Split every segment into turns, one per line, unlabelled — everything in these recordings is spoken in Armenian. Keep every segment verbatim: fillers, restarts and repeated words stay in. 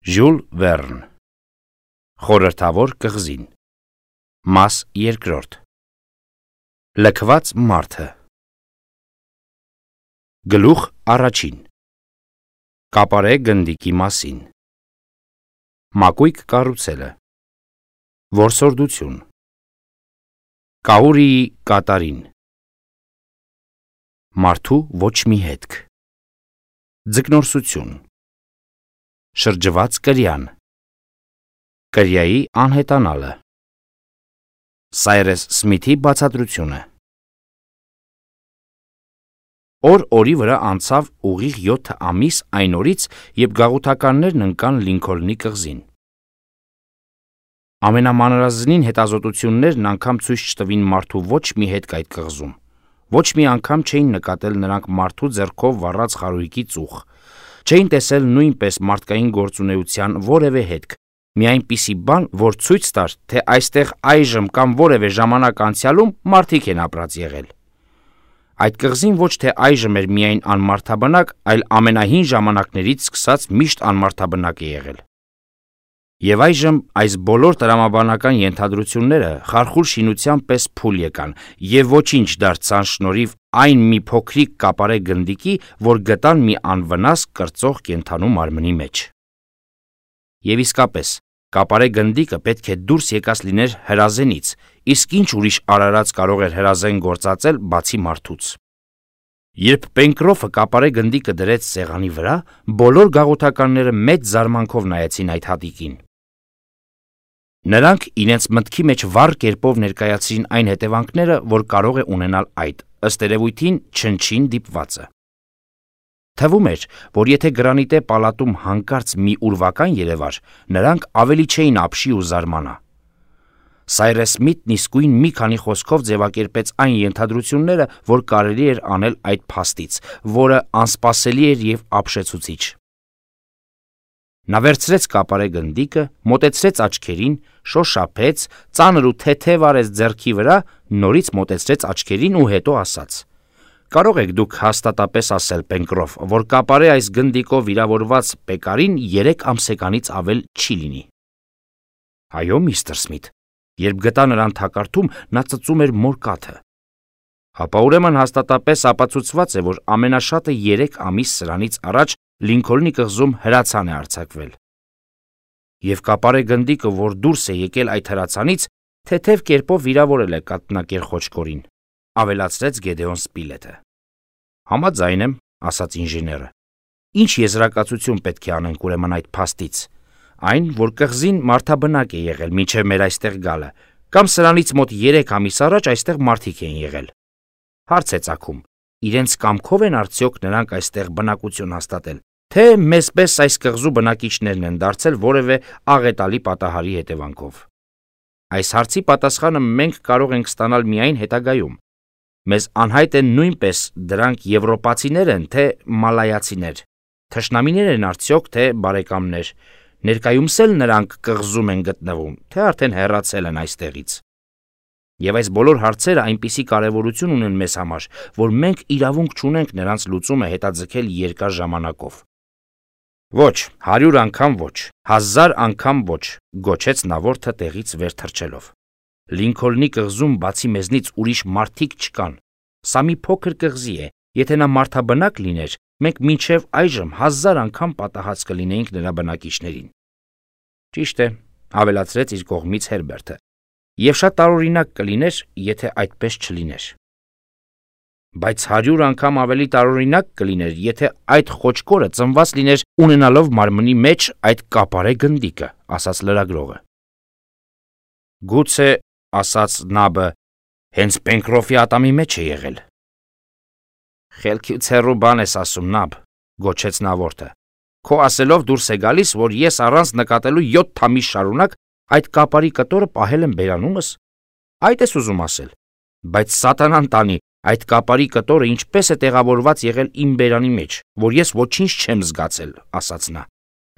Ժյուլ Վերն Խորհրդավոր կղզին Մաս երկրորդ Լքված մարդը Գլուխ առաջին Կապարե գնդիկի մասին Մակույկ կառուցելը Որսորդություն Կաուրիի կատարին Մարդու ոչ մի հետք Ձկնորսություն Շրջված կրյան Կրյայի անհետանալը Սայրես Սմիթի բացատրությունը Օր օրի վրա անցավ ուղիղ յոթ ամիս այն օրից, երբ գաղութականներն ընկան Լինքոլնի կղզին։ Ամենամանրազնին հետազոտություններն անգամ ցույց չտվին մարդու ոչ մի հետք այդ կղզում, ոչ մի անգամ չէին նկատել նրանք մարդու ձեռքով վառած խարույկի ծուխ, չէին տեսել նույնպես մարդկային գործունեության որևէ հետք, մի այնպիսի բան, որ ցույց տար, թե այստեղ այժմ կամ որևէ ժամանակ անցյալում մարդիկ են ապրած եղել։ Այդ կղզին ոչ թե այժմ էր միայն անմարդաբնակ, այլ ամենահին ժամանակներից սկսած միշտ անմարդաբնակ է եղել։ Եվ այժմ այս բոլոր տրամաբանական ենթադրությունները խարխուլ շինության պես փուլ եկան եւ ոչինչ դարձան շնորհիվ այն մի փոքրիկ կապարե գնդիկի, որ գտան մի անվնաս կրծող կենդանու մարմնի մեջ։ Եվ իսկապես, կապարե գնդիկը պետք է դուրս եկած լիներ հրազենից, իսկ ինչ ուրիշ արարած կարող էր հրազեն գործածել բացի մարդուց։ Երբ Պենկրոֆը կապարե գնդիկը դրեց սեղանի վրա, բոլոր գաղութականները մեծ զարմանքով նայեցին այդ հատիկին։ Նրանք իրենց մտքի մեջ վառ կերպով ներկայացրին այն հետևանքները, որ կարող է ունենալ այդ, ըստ երևույթին չնչին դիպվածը։ Թվում էր, որ եթե գրանիտե պալատում հանկարծ մի ուրվական երևար, նրանք ավելի չէին ապշի ու զարմանա։ Սայրես Սմիթն իսկույն մի քանի խոսքով ձևակերպեց այն ենթադրությունները, որ կարելի էր անել այդ փաստից, որը անսպասելի էր եւ ապշեցուցիչ։ Նա վերցրեց կապարե գնդիկը, մոտեցրեց աչքերին, շոշափեց, ծանր ու թեթև արեց ձեռքի վրա, նորից մոտեցրեց աչքերին ու հետո ասաց. «Կարող եք դուք հաստատապես ասել, Պենկրոֆ, որ կապարե այս գնդիկով վիրավորված պեկարին երեք ամսեկանից ավել չի լինի»։ «Այո, միստր Սմիթ, երբ գտա նրան թակարդում, նա ծծում էր մորկաթը»։ «Հապա ուրեմն հաստատապես ապացուցված է, որ ամենաշատը երեք ամիս սրանից առաջ Լինքոլնի կղզում հրացան է արձակվել։ Եվ կապարե գնդիկը, որ դուրս է եկել այդ հրացանից, թեթև կերպով վիրավորել է կաթնակեր խոչկորին», ավելացրեց Գեդեոն Սպիլետը։ «Համաձայն եմ», ասաց ինժեները։ «Ինչ եզրակացություն պետք է անենք ուրեմն այդ փաստից։ Այն, որ կղզին մարդաբնակ է եղել մինչև մեր այստեղ գալը, կամ սրանից մոտ երեք ամիս առաջ այստեղ մարդիկ են եղել։ Հարց է ծագում, իրենց կամքով են արդյոք նրանք այստեղ բնակություն հաստատել, թե մեզպես այս կղզու բնակիչներն են դարձել որևէ աղետալի պատահարի հետևանքով։ Այս հարցի պատասխանը մենք կարող ենք ստանալ միայն հետագայում։ Մեզ անհայտ են նույնպես դրանք եվրոպացիներ են, թե մալայացիներ, թշնամիներ են արդյոք, թե բարեկամներ, ներկայումս էլ նրանք կղզում են գտնվում, թե արդեն հեռացել են այստեղից։ Եվ այս բոլոր հարցերը այնպիսի կարևորություն ունեն մեզ համար, որ մենք իրավունք չունենք նրանց լուծումը հետաձգել երկար ժամանակով։ Ոչ, հարյուր անգամ ոչ, հազար անգամ ոչ, գոչեց նավորդը տեղից վեր թռչելով։ Լինքոլնի կղզում բացի մեզնից ուրիշ մարդիկ չկան։ Սա մի փոքր կղզի է, եթե նա մարդաբնակ լիներ, մենք մինչև այժմ հազար անգամ պատահած կլինեինք նրա բնակիչներին։ Ճիշտ է, ավելացրեց իր կողմից Հերբերտը, եւ շատ տարօրինակ կլիներ, եթե այդպես չլիներ։ Բայց հարյուր անգամ ավելի տարօրինակ կլիներ, եթե այդ խոչկորը ծնված լիներ ունենալով մարմնի մեջ այդ կապարե գնդիկը, ասաց լրագրողը։ Գուցե, ասաց Նաբը, հենց Պենկրոֆի ատամի մեջ է եղել։ Խելքից հեռու բան ես ասում, Նաբ, գոչեց նավորդը։ Քո ասելով դուրս է գալիս, որ ես առանց նկատելու յոթ ամիս շարունակ այդ կապարի կտորը պահել եմ բերանումս։ Այդ ես ուզում ասել։ Բայց սատանան տանի, այդ կապարի կտորը ինչպես է տեղավորված եղել իմ բերանի մեջ, որ ես ոչինչ չեմ զգացել, ասաց նա,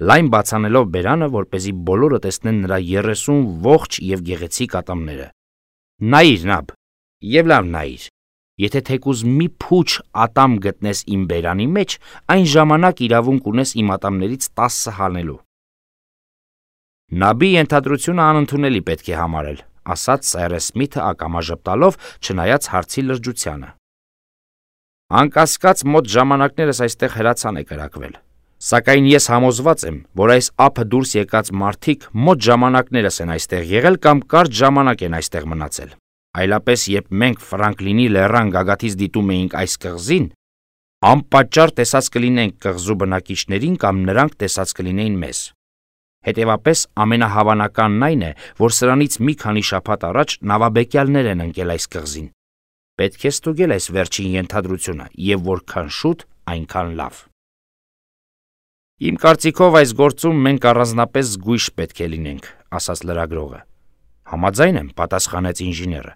լայն բացանելով բերանը, որպեսզի բոլորը տեսնեն նրա երեսուն ողջ եւ գեղեցիկ ատամները։ Նայիր, Նաբ, եւ լավ նայիր։ Եթե թեկուզ մի փուչ ատամ գտնես իմ բերանի մեջ, այն ժամանակ իրավունք ունես իմ ատամներից տասը հանելու։ Նաբի ենթադրությունը անընդունելի պետք է համարել, ասաց Սայրես Սմիթը ակամա ժպտալով, չնայած հարցի լրջությանը։ Անկասկած մոտ ժամանակներս այստեղ հրացան է կրակվել, սակայն ես համոզված եմ, որ այս ափը դուրս եկած մարդիկ մոտ ժամանակներս են այստեղ եղել կամ կարճ ժամանակ են այստեղ մնացել, այլապես երբ մենք Ֆրանկլինի լեռան գագաթից դիտում էինք այս կղզին, անպատճառ տեսած կլինենք կղզու բնակիչներին կամ նրանք տեսած կլինեին մեզ։ Հետևապես ամենահավանականն այն է, որ սրանից մի քանի շաբաթ առաջ նավաբեկյալներ են ընկել այս կղզին։ Պետք է ստուգել այս վերջին ենթադրությունը եւ որքան շուտ, այնքան լավ։ Իմ կարծիքով այս գործում մենք առանձնապես զգույշ պետք է լինենք, ասաց լրագրողը։ Համաձայն եմ, պատասխանեց ինժեները։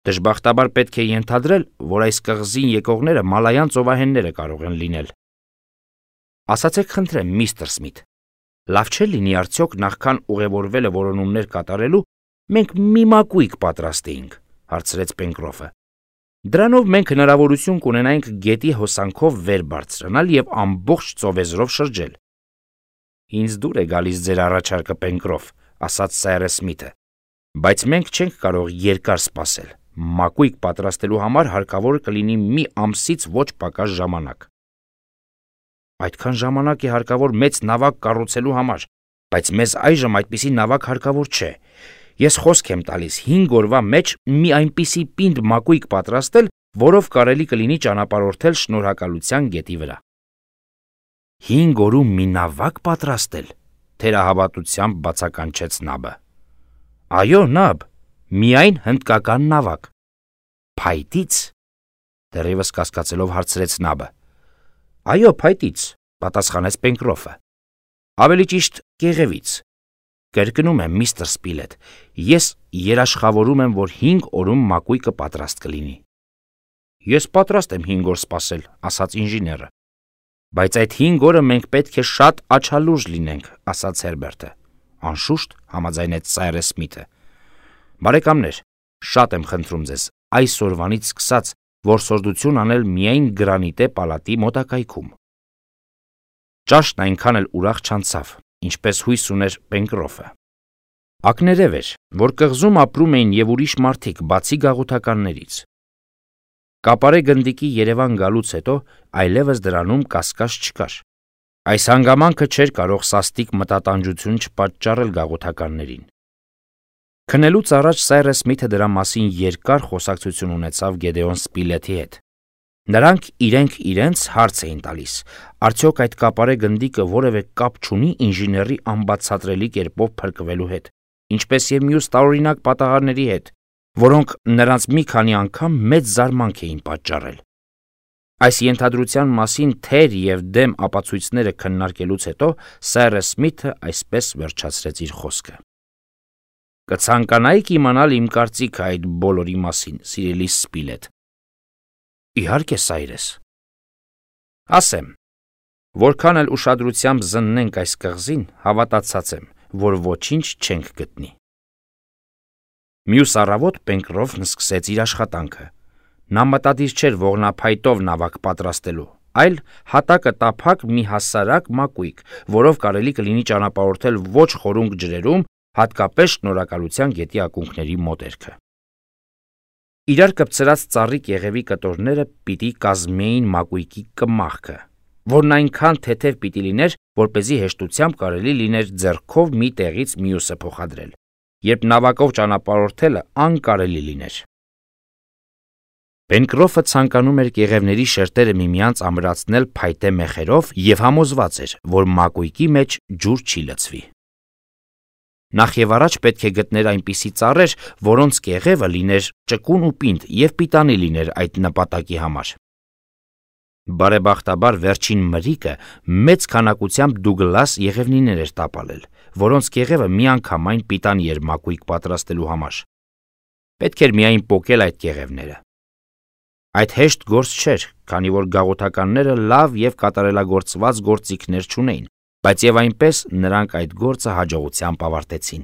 Դժբախտաբար պետք է ենթադրել, որ այս կղզին եկողները մալայան ծովահենները կարող են լինել։ Ասացեք խնդրեմ, միստր Սմիթ, լավ չէ լինի արդյոք նախքան ուղևորվելը որոնումներ կատարելու մենք մի մակույկ պատրաստեինք, հարցրեց Պենկրոֆը։ Դրանով մենք հնարավորություն կունենայինք գետի հոսանքով վեր բարձրանալ եւ ամբողջ ծովեզրով շրջել։ Ինձ դուր է գալիս ձեր առաջարկը, Պենկրոֆ, ասաց Սայրես Սմիթը, բայց մենք չենք կարող երկար սպասել։ Մակույկ պատրաստելու համար հարկավոր կլինի մի ամսից ոչ պակաս ժամանակ։ Այդքան ժամանակ է հարկավոր մեծ նավակ կառուցելու համար, բայց մեզ այժմ այդպիսի նավակ հարկավոր չէ։ Ես խոսք եմ տալիս հինգ օրվա մեջ մի այնպիսի պինդ մակույկ պատրաստել, որով կարելի կլինի ճանապարհորդել Շնորհակալության գետի վրա։ Հինգ օրում մի նավակ պատրաստել, թերահավատությամբ բացականչեց Նաբը։ Այո, Նաբ, միայն հնդկական նավակ։ Փայտից, դեռևս կասկածելով հարցրեց Նաբը։ Այո, փայտից, պատասխանեց Պենկրոֆը։ Ավելի ճիշտ կեղևից։ Կրկնում եմ, միստր Սպիլետ, ես երաշխավորում եմ, որ հինգ օրում մակույկը պատրաստ կլինի։ Ես պատրաստ եմ հինգ օր սպասել, ասաց ինժեները։ Բայց այդ հինգ օրը մենք պետք է շատ աչալուրջ լինենք, ասաց Հերբերտը։ Անշուշտ, համաձայնեց Սայրես Սմիթը։ Բարեկամներ, շատ եմ խնդրում ձեզ, այսօրվանից սկսած որսորդություն անել միայն Գրանիտե պալատի մոտակայքում։ Ճաշն այնքան էլ ուրախ չանցավ, ինչպես հույս ուներ Պենկրոֆը։ Ակներև էր, որ կղզում ապրում էին եւ ուրիշ մարդիկ, բացի գաղութականներից։ Կապարե գնդիկի Երևան գալուց հետո այլևս դրանում կասկած չկար։ Այս հանգամանքը չէր կարող սաստիկ մտատանջություն չպատճառել գաղութականներին։ Քնելուց առաջ Սայրես Սմիթը դրա մասին երկար խոսակցություն ունեցավ Գեդեոն Սպիլեթի հետ։ Նրանք իրենք իրենց հարց էին տալիս, արդյոք այդ կապարե գնդիկը որևէ կապ չունի ինժեների անբացատրելի կերպով փրկվելու հետ, ինչպես եւ մյուս տարօրինակ պատահարների հետ, որոնք նրանց մի քանի անգամ մեծ զարմանք էին պատճառել։ Այս ենթադրության մասին թեր եւ դեմ ապացույցները քննարկելուց հետո Սայրես Սմիթը այսպես վերջացրեց իր խոսքը. Կցանկանայիք իմանալ իմ կարծիքը այդ բոլորի մասին, սիրելի Սպիլետ։ Իհարկե, Սայրես։ Ասեմ, որքան էլ ուշադրությամբ զննենք այս կղզին, հավատացած եմ, որ ոչինչ չենք գտնի։ Մյուս առավոտ Պենկրոֆն սկսեց իր աշխատանքը։ Նա մտադիր չէր ողնափայտով նավակ պատրաստելու, այլ հատակը տափակ մի հասարակ մակույկ, որով կարելի կլինի ճանապարհորդել ոչ խորունկ ջրերում, հատկապես Շնորհակալության գետի ակունքների մոտերքը։ Իրար կպցրած ծառի կեղևի կտորները պիտի կազմեին մակույկի կմախքը, որն այնքան թեթև պիտի լիներ, որպեսզի հեշտությամբ կարելի լիներ ձեռքով մի տեղից մյուսը փոխադրել, երբ նավակով ճանապարհորդելը անկարելի լիներ։ Պենկրոֆը ցանկանում էր կեղևների շերտերը միմյանց ամրացնել փայտե մեխերով եւ համոզված էր, որ մակույկի մեջ ջուր չի լցվի։ Նախ եւ առաջ պետք է գտներ այնպիսի ծառեր, որոնց կեղևը լիներ ճկուն ու պինդ եւ պիտանի լիներ այդ նպատակի համար։ Բարեբախտաբար վերջին մրիկը մեծ քանակությամբ Դուգլաս եղևնիներ էր տապալել, որոնց կեղևը միանգամայն պիտանի էր մակույկ պատրաստելու համար։ Պետք էր միայն պոկել այդ կեղևները։ Այդ հեշտ գործ չէր, քանի որ գաղութականները լավ եւ կատարելագործված գործիքներ չունեին, բայց եւ այնպես նրանք այդ գործը հաջողությամբ ավարտեցին։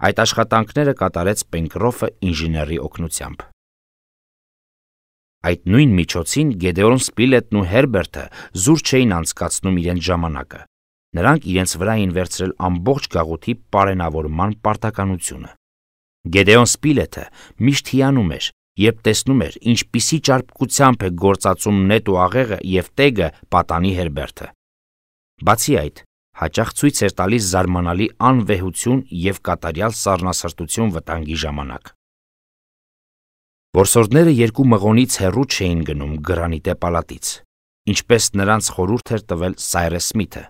Այդ աշխատանքները կատարեց Պենկրոֆը ինժեների օգնությամբ։ Այդ նույն միջոցին Գեդեոն Սպիլետն ու Հերբերտը զուր չէին անցկացնում իրենց ժամանակը։ Նրանք իրենց վրա էին վերցրել ամբողջ գաղութի պարենավորման պարտականությունը։ Գեդեոն Սպիլեթը միշտ հիանում էր, երբ տեսնում էր, ինչպիսի ճարպկությամբ է գործածում նետ ու աղեղը և տեգը պատանի Հերբերտը։ Բացի այդ, հաճախ ցույց էր տալիս զարմանալի անվեհություն և կատարյալ սառնասրտություն վտանգի ժամանակ։ Որսորդները երկու մղոնից հեռու չէին գնում գրանիտե պալատից, ինչպես նրանց խորհուրդ էր տվել Սայրես Սմիթը,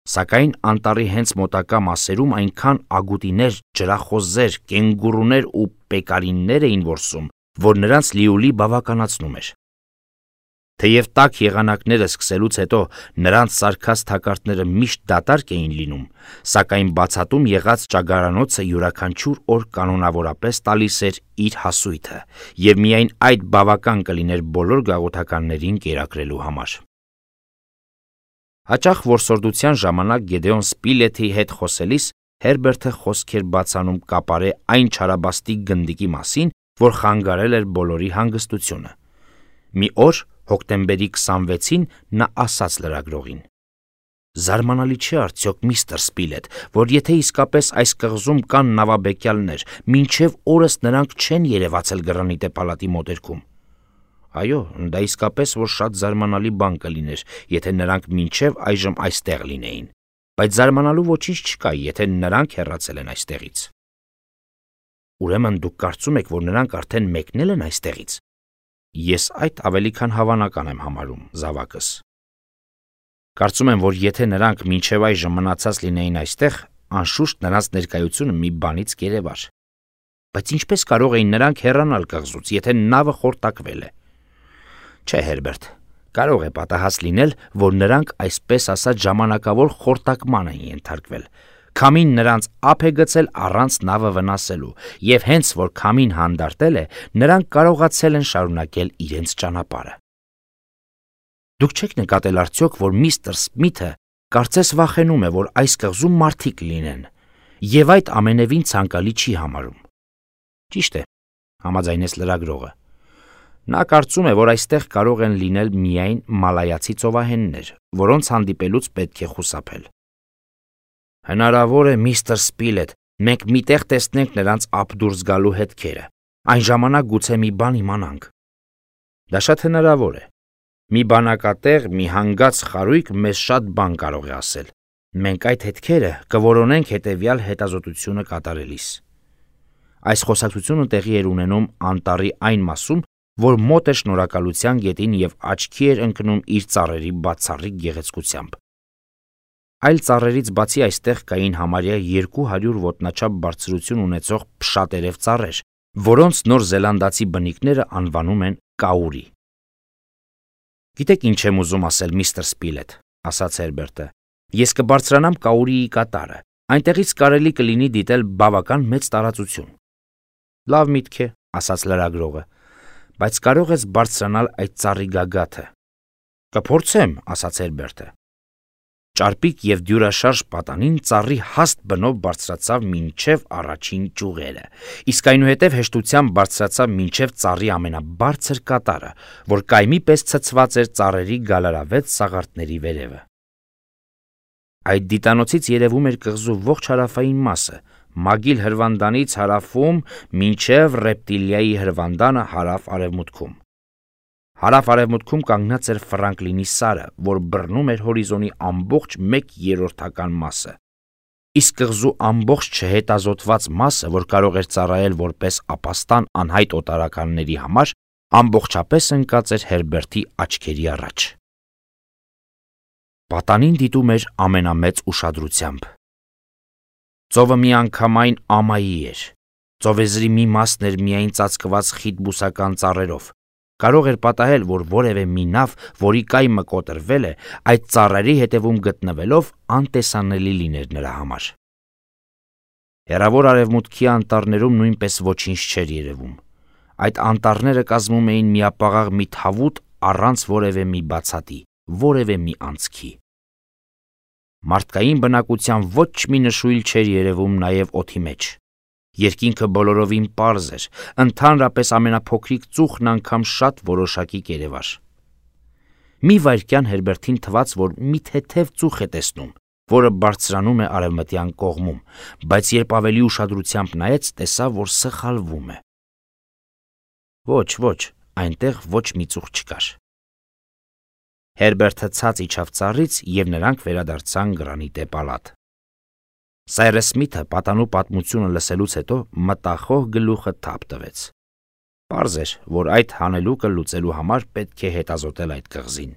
սակայն անտառի հենց մոտակա մասերում այնքան ագուտիներ, ջրախոզեր, կենգուրուներ ու պեկարիններ էին որսում, որ նրանց լիուլի բավականացնում էր։ Թեև տաք եղանակները սկսելուց հետո նրանց սարքած թակարդները միշտ դատարկ էին լինում, սակայն բացատում եղած ճագարանոցը յուրաքանչյուր օր կանոնավորապես տալիս էր իր հասույթը, և միայն այդ բավական կլիներ բոլոր գաղութականներին կերակրելու համար։ Հաճախ որսորդության ժամանակ Գեդեոն Սպիլեթի հետ խոսելիս Հերբերտը խոսք էր բացանում կապարե այն չարաբաստիկ գնդիկի մասին, որ խանգարել էր բոլորի հանգստությունը։ Մի օր, հոկտեմբերի քսանվեցին, նա ասաց լրագրողին. «Զարմանալի չէ արդյոք, միստր Սպիլեթ, որ եթե իսկապես այս կղզում կան նավաբեկյալներ, մինչև օրս նրանք չեն երևացել գրանիտե պալատի մոտերքում։ Այո, դա իսկապես որ շատ զարմանալի բան կլիներ, եթե նրանք մինչև այժմ այստեղ լինեին, բայց զարմանալու ոչինչ չկա, եթե նրանք հեռացել են այստեղից»։ Ուրեմն դուք կարծում եք, որ նրանք արդեն մեկնել են այստեղից։ Ես այդ ավելի քան հավանական եմ համարում, զավակս։ Կարծում եմ, որ եթե նրանք մինչև այժմ մնացած լինեին այստեղ, անշուշտ նրանց ներկայությունը մի բանից կերևար։ Բայց ինչպես կարող էին նրանք հեռանալ կղզուց, եթե նավը խորտակվել է։ Չէ, Հերբերտ, կարող է պատահած լինել, որ նրանք այսպես ասած ժամանակավոր խորտակման են ենթարկվել։ Քամին նրանց ափ է գցել առանց նավը վնասելու, և հենց որ քամին հանդարտել է, նրանք կարողացել են շարունակել իրենց ճանապարհը։ Դուք չեք նկատել արդյոք, որ միստր Սմիթը կարծես վախենում է, որ այս կղզում մարդիկ լինեն, և այդ ամենևին ցանկալի չի համարում։ Ճիշտ է, համաձայնեց լրագրողը։ Նա կարծում է, որ այստեղ կարող են լինել միայն մալայացի ծովահեններ, որոնց հանդիպելուց պետք է խուսափել։ Հնարավոր է, միստր Սպիլեթ, մենք միտեղ տեսնենք նրանց ափ դուրս գալու հետքերը, այն ժամանակ գուցե մի բան իմանանք։ Դա շատ հնարավոր է։ Մի բանակատեղ, մի հանգած խարույկ մեզ շատ բան կարող է ասել։ Մենք այդ հետքերը կորոնենք հետևյալ հետազոտությունը կատարելիս։ Այս խոսակցությունը տեղի էր ունենում անտառի այն մասում, որ մոտ էր Շնորհակալության գետին և աչքի էր ընկնում իր ծառերի բացառիկ գեղեցկությամբ։ Այլ ծառերից բացի այստեղ կային համարյա երկու հարյուր ոտնաչափ բարձրություն ունեցող փշատերև ծառեր, որոնց Նոր Զելանդացի բնիկները անվանում են կաուրի։ Գիտեք ինչ եմ ուզում ասել, միստր Սպիլեթ, ասաց Հերբերտը։ Ես կբարձրանամ կաուրիի կատարը, այնտեղից կարելի կլինի դիտել բավական մեծ տարածություն։ Լավ միտք է, ասաց լրագրողը, բայց կարող ես բարձրանալ այդ ծառի գագաթը։ Կփորձեմ, ասաց Հերբերտը։ Ճարպիկ և դյուրաշարժ պատանին ծառի հաստ բնով բարձրացավ մինչև առաջին ճյուղերը, իսկ այնուհետև հեշտությամբ բարձրացավ մինչև ծառի ամենաբարձր կատարը, որ կայմի պես ցցված էր ծառերի գալարավետ սաղարթների վերևը։ Այդ դիտանոցից երևում էր կղզու ողջ հարավային մասը, Մագիլ հրվանդանից հարավում մինչև Ռեպտիլիայի հրվանդանը հարավ-արևմուտքում։ Հարավ-արևմուտքում կանգնած էր Ֆրանկլինի սարը, որ բռնում էր հորիզոնի ամբողջ մեկ երրորդական մասը, իսկ կղզու ամբողջ չհետազոտված մասը, որ կարող էր ծառայել որպես ապաստան անհայտ օտարականների համար, ամբողջապես ընկած էր Հերբերտի աչքերի առաջ։ Պատանին դիտում էր ամենամեծ ուշադրությամբ։ Ծովը միանգամայն ամայի էր։ Ծովեզրի մի մասն էր միայն ծածկված խիտ բուսական ծառերով։ Կարող էր պատահել, որ որևէ մի նավ, որի կայմը կոտրվել է, այդ ծառերի հետևում գտնվելով անտեսանելի լիներ նրա համար։ Հեռավոր արևմուտքի անտառներում նույնպես ոչինչ չէր երևում։ Այդ անտառները կազմում էին միապաղաղ մի թավուտ առանց որևէ մի բացատի, որևէ մի անցքի։ Մարդկային բնակության ոչ մի նշույլ չէր երևում նաև օդի մեջ։ Երկինքը բոլորովին պարզ էր, ընդհանրապես ամենափոքրիկ ծուխն անգամ շատ որոշակի կերևար։ Մի վայրկյան Հերբերտին թվաց, որ մի թեթև ծուխ է տեսնում, որը բարձրանում է արևմտյան կողմում, բայց երբ ավելի ուշադրությամբ նայեց, տեսավ, որ սխալվում է։ Ոչ, ոչ, այնտեղ ոչ մի ծուխ չկար։ Հերբերտը ցած իջավ ծառից և նրանք վերադարձան Գրանիտե պալատ։ Սայրս Սմիթը պատանու պատմությունը լսելուց հետո մտախոհ գլուխը թափ տվեց։ Պարզ էր, որ այդ հանելուկը լուծելու համար պետք է հետազոտել այդ կղզին։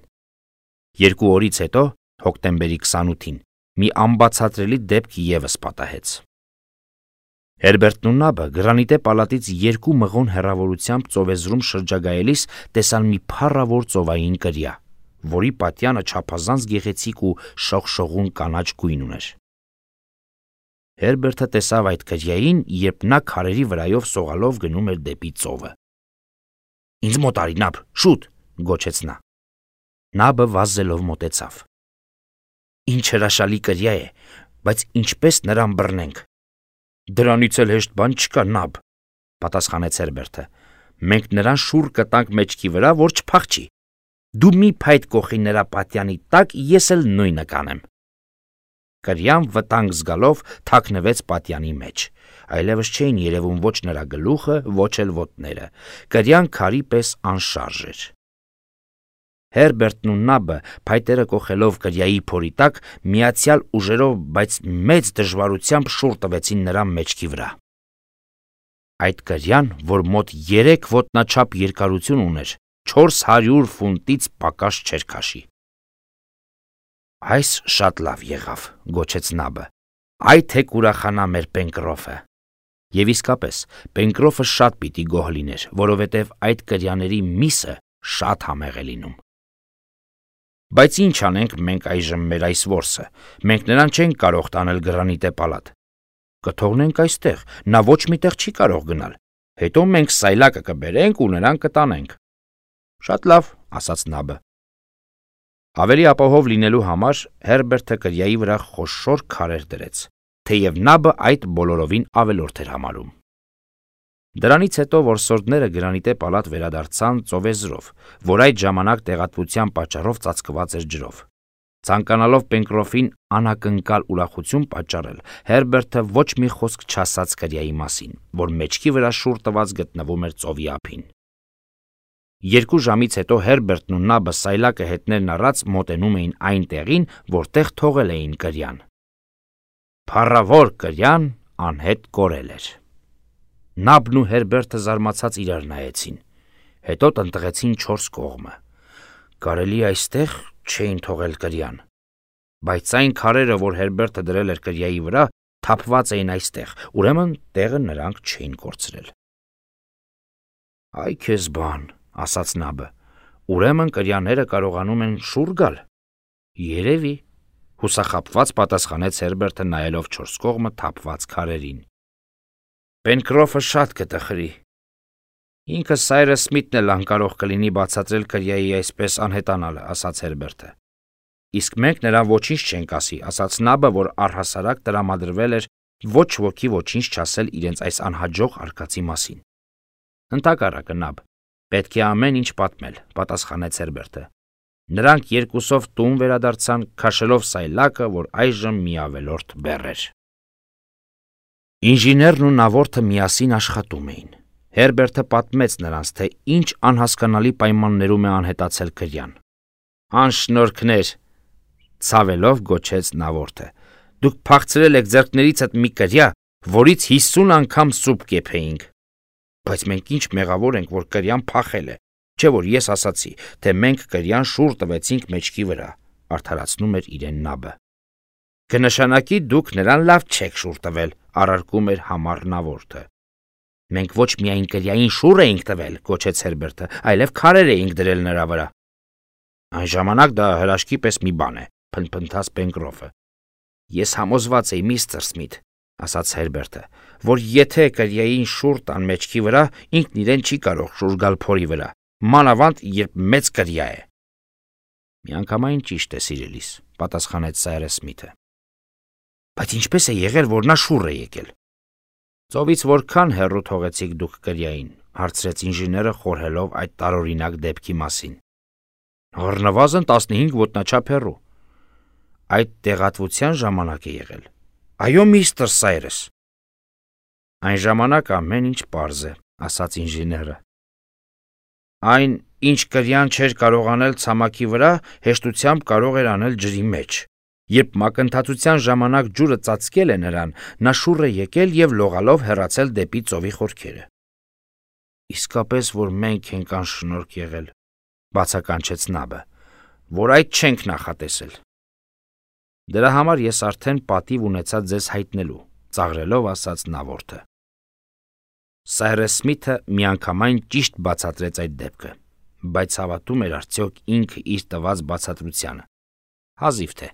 Երկու օրից հետո, հոկտեմբերի քսանութին, մի անբացատրելի դեպք ևս պատահեց։ Հերբերտն ու Նաբը Գրանիտե պալատից երկու մղոն հեռավորությամբ ծովեզրում շրջագայելիս տեսան մի փառավոր ծովային կրիա, որի պատյանը չափազանց գեղեցիկ ու շողշողուն կանաչ գույն ուներ։ Հերբերտը տեսավ այդ կրիային, երբ նա քարերի վրայով սողալով գնում էր դեպի ծովը։ «Ինձ մոտ արի, Նաբ, շուտ», գոչեց նա։ Նաբը վազելով մոտեցավ։ «Ինչ հրաշալի կրիա է, բայց ինչպես նրան բռնենք»։ «Դրանից էլ հեշտ բան չկա, Նաբ», պատասխանեց Հերբերտը։ «Մենք նրան շուռ կտանք մեջքի վրա, որ չփախչի։ Դու մի փայտ կոխի նրա պատյանի տակ, ես էլ նույնը կանեմ»։ Կրիան վտանգ զգալով թաքնվեց պատյանի մեջ։ Այլևս չէին երևում ոչ նրա գլուխը, ոչ էլ ոտները։ Կրիան քարի պես անշարժ էր։ Հերբերտն ու Նաբը փայտերը կոխելով կրիայի փորի տակ միացյալ ուժերով, բայց մեծ դժվարությամբ շուռ տվեցին նրա մեջքի վրա։ Այդ կրիան, որ մոտ երեք ոտնաչափ երկարություն ուներ, չորս հարյուր ֆունտից պակաս չէր քաշի։ «Այս շատ լավ եղավ», գոչեց Նաբը։ «Այ թե կուրախանա մեր Պենկրոֆը»։ Եվ իսկապես, Պենկրոֆը շատ պիտի գոհ լիներ, որովհետև այդ կրյաների միսը շատ համեղ է լինում։ «Բայց ինչ անենք մենք այժմ մեր այս որսը, մենք նրան չենք կարող տանել Գրանիտե պալատ։ Կթողնենք այստեղ, նա ոչ միտեղ չի կարող գնալ, հետո մենք սայլակը կբերենք ու նրան կտանենք»։ «Շատ լավ», ասաց Նաբը։ Ավելի ապահով լինելու համար Հերբերտը կրիայի վրա խոշոր քարեր դրեց, թեև Նաբը այդ բոլորովին ավելորդ էր համարում։ Դրանից հետո որսորդները Գրանիտե պալատ վերադարձան ծովեզրով, որ այդ ժամանակ տեղատվության պատճառով ծածկված էր ջրով։ Ցանկանալով Պենկրոֆին անակնկալ ուրախություն պատճառել, Հերբերտը ոչ մի խոսք չասաց կրիայի մասին, որ մեջքի վրա շուռ տված գտնվում էր ծովի ափին։ Երկու ժամից հետո Հերբերտն ու Նաբը սայլակը հետներն առած մոտենում էին այն տեղին, որտեղ թողել էին կրյան։ Փառավոր կրյան անհետ կորել էր։ Նաբն ու Հերբերտը զարմացած իրար նայեցին, հետո տնտղեցին չորս կողմը։ Կարելի այստեղ չէին թողել կրյան, բայց այն քարերը, որ Հերբերտը դրել էր կրիայի վրա, թափված էին այստեղ, ուրեմն տեղը նրանք չէին կորցրել։ «Այ քեզ բան», ասաց Նաբը, «ուրեմն կրյաները կարողանում են շուռ գալ»։ «Երևի», հուսախաբված պատասխանեց Հերբերտը նայելով չորս կողմը թափված քարերին։ «Պենկրոֆը շատ կտխրի։ Ինքը Սայրս Սմիթն էլ անկարող կլինի բացատրել կրիայի այսպես անհետանալը», ասաց Հերբերտը։ «Իսկ մենք նրան ոչինչ չենք ասի», ասաց Նաբը, որ առհասարակ տրամադրվել էր ոչ ոքի ոչինչ չասել իրենց այս անհաջող արկածի մասին։ «Ընդհակառակը, Նաբ, պետք է ամեն ինչ պատմել», պատասխանեց Հերբերտը։ Նրանք երկուսով տուն վերադարձան, քաշելով սայլակը, որ այժմ մի ավելորդ բեռ էր։ Ինժեներն ու նավորդը միասին աշխատում էին։ Հերբերտը պատմեց նրանց, թե ինչ անհասկանալի պայմաններում է անհետացել կրյան։ «Անշնորհքներ», ցավելով գոչեց նավորդը, «դուք փախցրել եք ձեռքներիցդ մի կրյա, որից հիսուն անգամ սուպ կեփեինք»։ «Բայց մենք ինչ մեղավոր ենք, որ կրյան փախել է, չէ՞ որ ես ասացի, թե մենք կրյան շուռ տվեցինք մեջքի վրա», արդարացնում էր իրեն Նաբը։ «Կնշանակի դուք նրան լավ չեք շուռ տվել», առարկում էր համառ նավորդը։ «Մենք ոչ միայն կրյային շուռ էինք տվել», գոչեց Հերբերտը, «այլև քարեր էինք դրել նրա վրա»։ «Այն ժամանակ դա հրաշքի պես մի բան է», փնփնթաց Պենկրոֆը։ «Ես համոզված էի, միստր Սմիթ», ասաց Հերբերտը, «որ եթե կրյային շուռ տան մեջքի վրա, ինքն իրեն չի կարող շուռ գալ փորի վրա, մանավանդ երբ մեծ կրյա է»։ «Միանգամայն ճիշտ է, սիրելիս», պատասխանեց Սայրս Սմիթը։ «Բայց ինչպես է եղել, որ նա շուռ է եկել»։ «Ծովից որքան հեռու թողեցիք դուք կրյային», հարցրեց ինժեները, խորհելով այդ տարօրինակ դեպքի մասին։ «Առնվազն տասնհինգ ոտնաչափ հեռու»։ այդ տեղատվության ժամանակ է եղել։ Այո, միստր Սայրս։ Այն ժամանակ ամեն ինչ պարզ է, ասաց ինժեները։ Այն, ինչ կրյան չէր կարող անել ցամաքի վրա, հեշտությամբ կարող էր անել ջրի մեջ։ Երբ մակընթացության ժամանակ ջուրը ծածկել է նրան, նա շուռ է եկել եւ լողալով հեռացել դեպի ծովի խորքերը։ Իսկապես, որ մենք ենք անշնորհք եղել, բացականչեց Նաբը, որ այդ չենք նախատեսել։ Դրա համար ես արդեն պատիվ ունեցա ձեզ հայտնելու, ծաղրելով ասաց Նավորդը։ Սայրս Սմիթը միանգամայն ճիշտ բացատրեց այդ դեպքը, բայց հավատում էր արդյոք ինքը իր տված բացատրությանը։ Հազիվ թե։